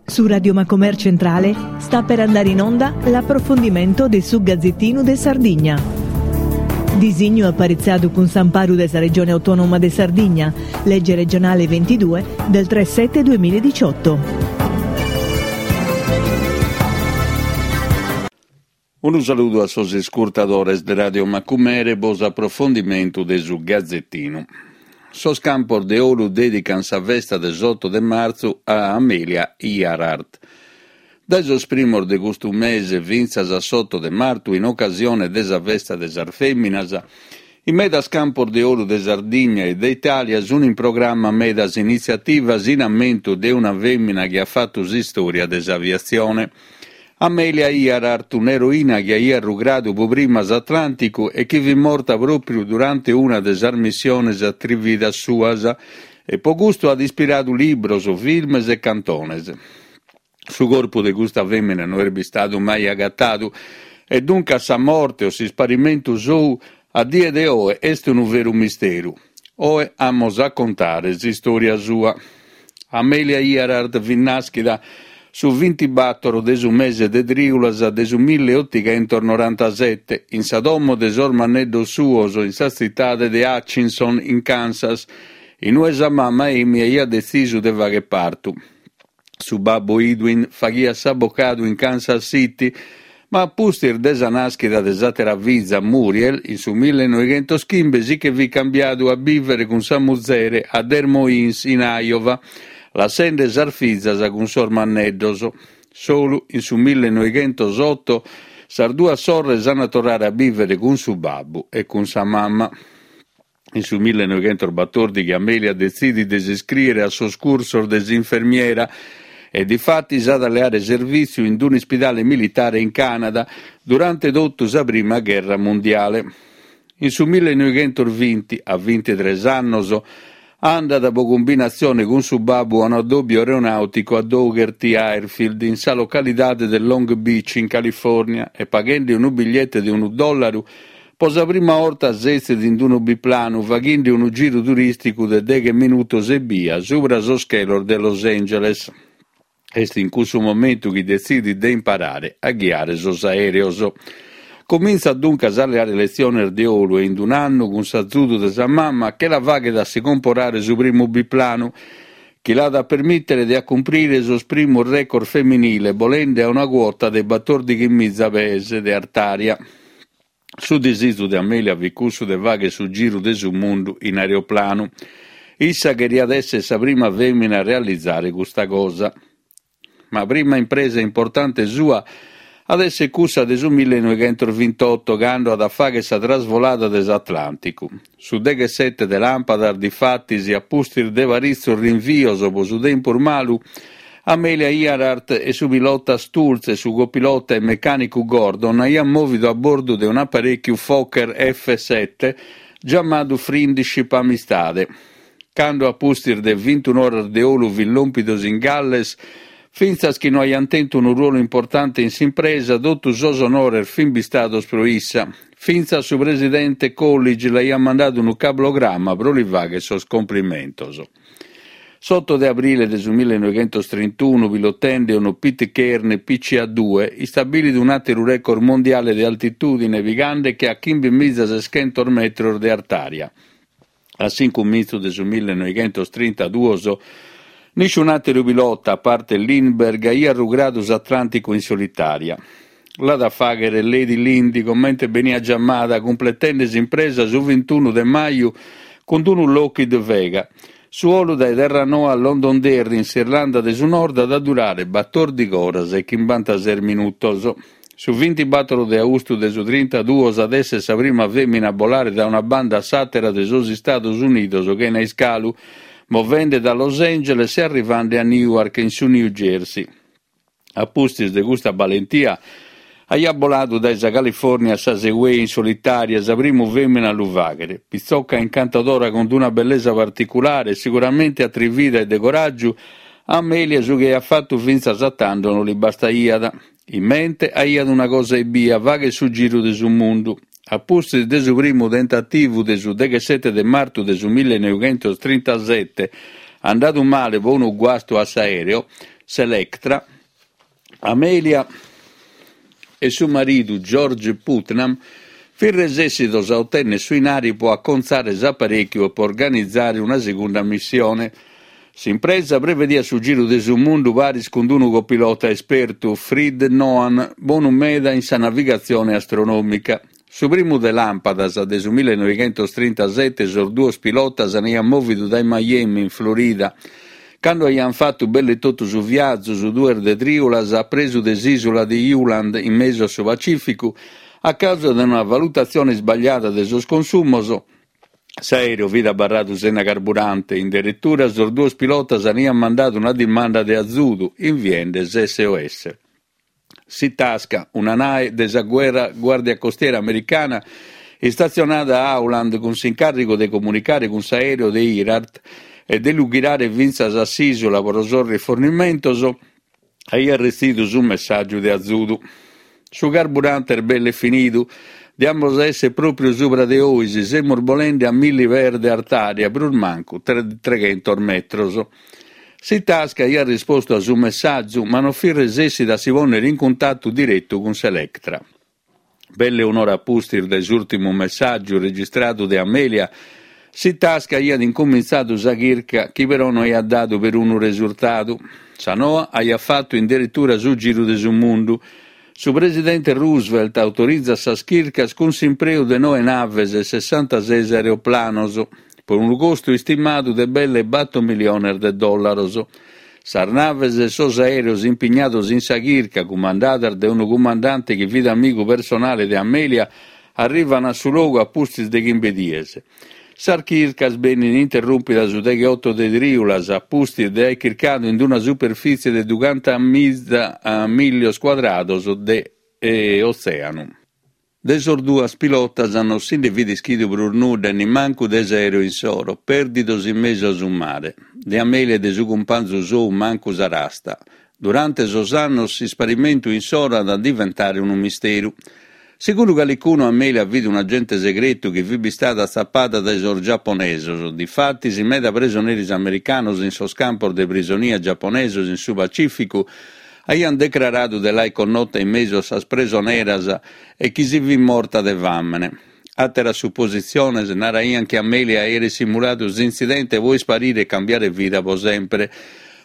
Su Radio Macomer Centrale sta per andare in onda l'approfondimento de su Gazzettinu de Sardigna. Disignu aparitzadu cun s'amparu de sa Regione Autonoma de Sardigna, Legge regionale 22 del 3 7 2018. Unu saludu a sos iscurtadores de Radio Macumere po s'aprofondimentu de su Gazetinu. Sos campos de 'olu dèdican sa festa de s'oto de martzu a Amelia Earhart. Dae sos primos de custu mese fintzas a s'oto de martu, in ocasione de sa festa de sas fèminas, in medas campos de 'olu de Sardigna e de Itàlia sun in programma medas initziativas in ammentu de una fèmina chi at fatu s'istòria de s'aviatzione. Amelia Earhart, un'eroina chi aiat rugradu pro prima s'Atlànticu e chi fit morta pròpriu durante una de sas missiones atrividas suas, e pro custu at ispiradu libros, filmes e cantones. Su corpu de custa fèmina no est bistadu mai agatadu e duncas sa morte o s'isparimentu sou a die de oe est unu veru misteru. Oe amus a contare s'istòria sua. Amelia Earhart fit nàschida su vintibàtoro de su mese de trìulas de su milliotighentos-norantasete in sa domo de sos manneddos suos in sa tzitade de Hutchinson in Kansas, in ue sa mama Amy aiat detzisu de fagher partu. Su babbu Edwin faghiat s'abocadu in Kansas City, ma a pustis de sa nàschida de s'àtera fiza Muriel, in su millenoighentoschimbe si che fit cambiadu a bìvere cun sa muzere a Des Moines in Iowa, lassende sas fizas cun sos manneddos. Solu in su millenoighentosoto sas duas sorres an a torrare a bìvere cun su babbu e cun sa mama. In su millenoighentosbatòrdighi Amelia detzidit de s'iscrìere a sos cursos de s'infermiera e difatis at a leare servìtziu in un'ispidale militare in Cànada durante totu sa prima gherra mundiale. In su millenoighentosbinti, a bintitres annos, andat pro cumbinatzione cun su babbu a un'addòbiu aeronàuticu a Dougherty Airfield in sa localidade de Long Beach in Califòrnia e paghende unu bigliete de unu dòllaru Po sa prima 'orta setzit in unu biplanu faghende unu giru turìsticu de deghe minutos ebbia subra sos chelos de Los Angeles. Est in cussu momentu chi detzidit de imparare a ghiare sos aèreos. Comintzat duncas a leare letziones de 'olu e in un'annu, cun s'azudu de sa mama, che la faghet a si comporare su primu biplanu, chi l'at a permìtere de acumprire sos primos record feminile bolende a una cuota de batòrdighimiza pees de artària. Su disizu de Amelia fit cussu de fagher su giru de su mundu in aeroplanu. Issa cheriat esser sa prima femina a realizare custa cosa. Ma prima impresa importante sua at esser cussa de su millenoighentosvintotto, cando at a fagher sa trasvolada de s'Atlànticu. Su deghessete de làmpadas, difatis, a pustis de paritzos rinvios pro su tempus malu, Amelia Earhart e su pilota Stultz e su copilota e mecànicu Gordon aiant mòvidu a bordu de un'aparèchiu Fokker F-sete giamadu Friendship Amistade. Cando a pustis de vintun'oras de 'olu fin lòmpidos in Galles, fintzas chi no aiant tentu unu ruolu importante in s'impresa, totu sos onores fin bistados pro issa. Fintzas su presidente Coolidge l'aiat mandadu unu cablogramma pro li fagher sos complimentos. S'oto de abrile de su millenoighentostrintunu, pilotende unu Pitcairn PCA-due, istabilit un'àteru record mondiale de altitùdine pigande che a chimbemizaseschentos metros de artària. A s'incumintzu de su millenoighentostrintaduos, nisciun'àteru pilota, a parte Lindbergh, aiat rugradu s'Atlànticu in solitària. L'at a fàghere Lady Lindy, comente beniat giamada, cumpletende s'impresa su vintunu de maju cun unu Lockheed Vega. Su 'olu dae Terranoa a Londonderry, in s'Irlanda de su Nord, at a durare batòrdighi oras e chimbantases minutos. Su vintibàtoro de austu de su trintaduos at èssere sa prima fèmina a bolare dae una banda a s'àtera de sos Istados Unidos chena iscalu, movende da Los Angeles e arrivande a Newark, in su New Jersey. A pustis de custa balentia, aiat boladu dae sa Califòrnia a sas Hawaii in solitària, sa primu fèmina a lu fàghere. Pitzoca incantadora cun una bellesa particulare, siguramente atrivida e de coràgiu, a Amelia su chi aiat fatu fintzas a tando no li bastaiat. In mente aiat una cosa ebbia, fagher su giru de su mundu. A pustis de su primu tentativu de su deghessete de martu de su millenoighentos trintasete, andadu male pro unu guastu a s'aereo, S'Electra, Amelia e su maridu George Putnam fin resessidos a otènnere su 'inari pro acontzare s'aparèchiu e pro organizare una segunda missione. S'impresa prevediat su giru de su mundu paris cun unu copilota espertu, Fred Noan, bonu meda in sa navigatzione astronòmica. Su primu de làmpadas de su millenoighentostrintasete sos duos pilotas aiant mòvidu dae Miami, in Florida. Cando aiant fatu belle totu su viazu, su duos de trìulas, a presu de s'ìsula de Howland, in mesu a su Pacìficu, a causa de una valutatzione isbagliada de sos consumos, s'aèreu fit abarradu sena carburante. In deretura sos duos pilotas aiant mandadu una dimanda de azudu, inviende s'SOS. S'Itasca, una nae de sa guerra Guàrdia Costiera americana istatzionada a Howland cun s'incàrrigu de comunicare cun s'aèreu de Earhart e de lu ghirare fintzas a s'ìsula pro sos rifornimentos, aiat retzidu su messàgiu de azudu. Su carburante est belle finidu, diamus a èssere pròpiu subra de 'ois, semus bolende a milli pes de artària, prus mancu treghentos metros. S'Itasca aiat rispostu a su messàgiu, ma non fit resessida a si pònnere in cuntatu diretu cun s'Electra. Belle un'ora a pustis de s'ùrtimu messàgiu registradu de Amelia, s'Itasca aiat incumintzadu sa chirca chi però no aiat dadu perunu resurtadu. Sa noa aiat fatu in deretura su giru de su mundu. Su presidente Roosevelt autorizat sas chircas cun s'impreu de noe naves e sessantases aeroplanos, pro unu costu istimadu de belle bator miliones de dòllaros. Sas naves e sos aèreos impignados in sa chirca, cumandadas de unu cumandante chi fit amigu personale de Amelia, arrivan a su logu a pustis de chimbe dies. Sas chircas benin interrùmpidas su degheoto de trìulas, a pustis de aer chircadu in una superfìtzie de dughentamiza mìllios cuadrados de otzèanu. De sos duas pilotas non si nde fit ischidu prus nudda e nimancu de s'aèreu insoro, pèrdidos in mesu a su mare. De Amelia e de su cumpanzu sou mancu sa rasta. Durante sos annos s'isparimentu insoro at a diventare unu misteru. Segundu calicunu Amelia fit un'agente segretu chi fit bistada atzapada dae sos giaponesos, difatis meda presoneris americanos in sos campos de prisonia giaponesos in su Pacìficu aiant decraradu de l'aer connota in mesu a sas presoneras e chi si fit morta de fàmene. Àteras supositziones naraiant chi Amelia aeret simuladu s'intzidente pro isparire e cambiare vida pro semper.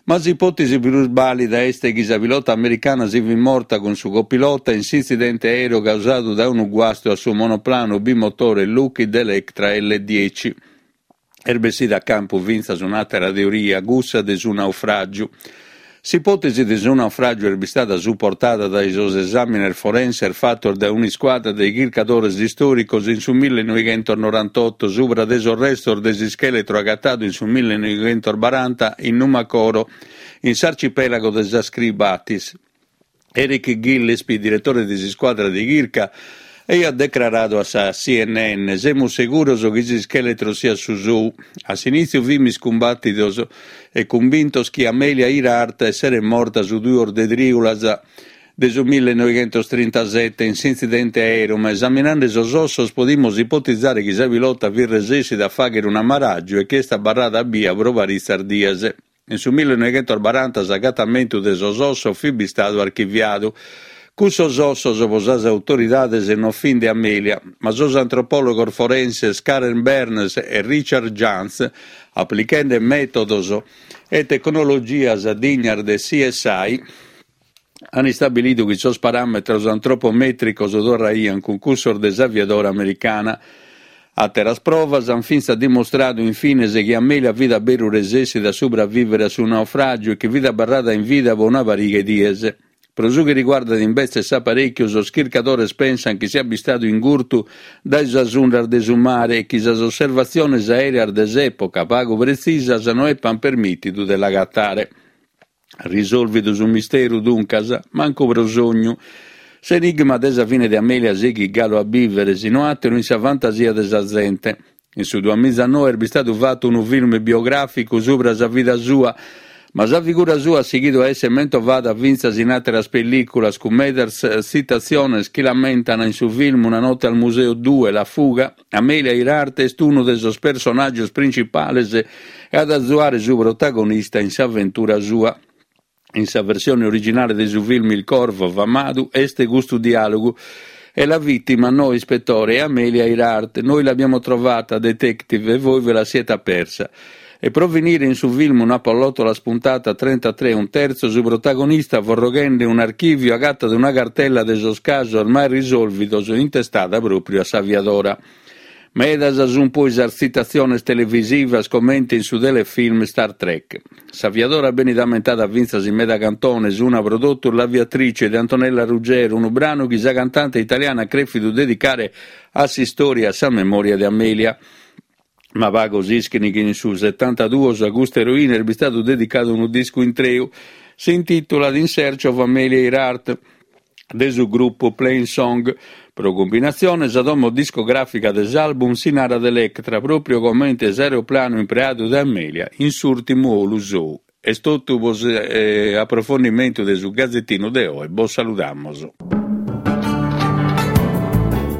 Ma s'ipòtesi prus bàlida est chi sa pilota americana si fit morta cun su copilota in s'intzidente aèreu causadu dae unu guastu a su monoplanu bimotore Lockheed Electra L-dieci. Est bessida a campu fintzas un'àtera teoria, cussa de su naufràgiu. S'ipòtesi de su naufràgiu est bistada suportada dae sos esàmines forenses fatos dae un'iscuadra de chircadores istòricos in su millenoighentosnorantoto subra de sos restos de s'ischèletro agatadu in su millenoighentosbaranta in Numacoro, in s'arcipèlago de sas Kiribatis. Eric Gillespie, diretore de s'iscuadra de chirca, aiat decraradu a sa CNN, Semus seguros chi s'ischèletro siat su sou. A s'inìtziu fimis cumbàtidos e cumbintos chi Amelia Earhart esseret morta su duos de trìulas de su millenoighentostrintasete in s'intzidente aèreu, ma esaminende sos ossos podimus ipotizare chi sa pilota fit resèssida a fàghere un'amaràgiu e chi est abarrada bia pro paritzas dies. In su millenoighentosbaranta s'agatamentu de sos ossos fit bistadu archiviadu. Cussos ossos pro sas autoridades non fin de Amelia, ma sos antropòlogos forenses Karen Burns e Richard Jantz, aplichende mètodos e tecnologias dignas de CSI, an istabilidu chi sos paràmetros antropomètricos torraian cun cussos de s'aviadora americana. Àteras provas an fintzas dimostradu in fines chi Amelia fit a beru resessida a subravìvere a su naufràgiu e chi fit abarrada in vida pro una pariga 'e dies. Pro su chi riguardat imbetzes s'aparèchiu, sos chircadores pensan chi siat bistadu ingurtu dae sas undas de su mare e chi sas osservatziones aèreas de s'època, pagu pretzisas, no epan permìtidu de l'agatare. Risòlvidu su misteru, duncas? Mancu pro sognu. S'enigma de sa fine de Amelia sighit galu a bìvere, si no àteru in sa fantasia de sa zente. In su duamizanoe est bistadu fatu unu film biogràficu subra sa vida sua, ma sa figura sua at sighidu a èssere mentovada fintzas in àteras pellìculas, cun medas tzitatziones chi l'ammentan in su film Una notte al museo due, La fuga, Amelia Earhart est unu de sos principales e at a azuare su protagonista in s'aventura sua. In sa versione originale de su film Il Corvo famadu est custu diàlogu, E la vittima, no, ispettore, è Amelia Earhart, noi l'abbiamo trovata, detective, e voi ve la siete persa. E pro finire in su film Una pallottola spuntata 33 e un terzo su protagonista forroghende un'archìviu agatat una cartella de sos casos mai risòlvidos intestada pròpriu a s'aviadora. Medas sunt poi sas tzitatziones televisivas comente in su telefilm Star Trek. S'aviadora benit ammentada fintzas in meda cantones, una pro totus L'aviatrice de Antonella Ruggiero, unu branu chi sa cantante italiana at crèfidu dedicare a s'istòria e a sa memòria de Amelia. Ma pagos ischin chi in su setantaduos a custa eroina est bistadu dedicadu unu discu intreu. S'intìtulat In Search of Amelia Earhart de su grupu Plainsong. Pro cumbinatzione sa domo discogràfica de s'album si narat Electra, pròpriu comente s'aeroplanu impreadu dae Amelia in s'ùrtimu 'olu sou. Est totu pro s'aprofondimentu de su Gazetinu de oe, bos saludamos.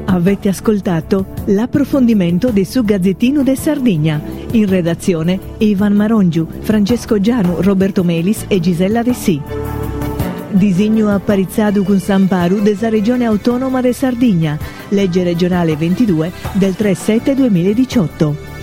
Avete ascoltato l'approfondimento de su Gazzettino de Sardigna. In redazione Ivan Marongiu, Francesco Gianu, Roberto Melis e Gisella Dessì. Disignu aparitzadu cun s'amparu de sa Regione Autònoma de Sardigna, Legge regionale 22 del 3 7 2018.